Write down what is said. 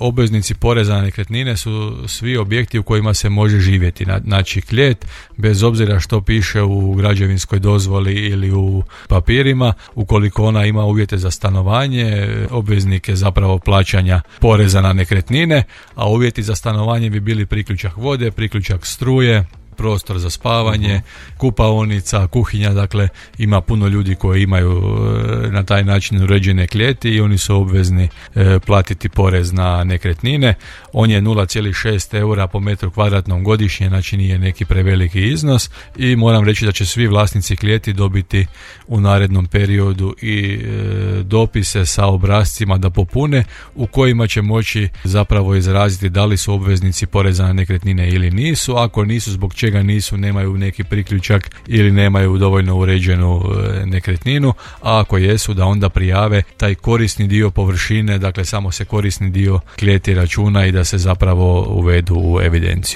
Obveznici poreza na nekretnine su svi objekti u kojima se može živjeti. Znači klet, bez obzira što piše u građevinskoj dozvoli ili u papirima, ukoliko ona ima uvjete za stanovanje, obveznik je zapravo plaćanja poreza na nekretnine, a uvjeti za stanovanje bi bili priključak vode, priključak struje, prostor za spavanje, kupaonica, kuhinja, dakle ima puno ljudi koji imaju na taj način uređene klijeti i oni su obvezni platiti porez na nekretnine. On je 0,6 eura po metru kvadratnom godišnje, znači nije neki preveliki iznos i moram reći da će svi vlasnici klijeti dobiti u narednom periodu i dopise sa obrascima da popune u kojima će moći zapravo izraziti da li su obveznici poreza na nekretnine ili nisu. Ako nisu, zbog čega nisu, nemaju neki priključak ili nemaju dovoljno uređenu nekretninu, a ako jesu da onda prijave taj korisni dio površine, dakle samo se korisni dio klijeti računa i da se zapravo uvedu u evidenciju.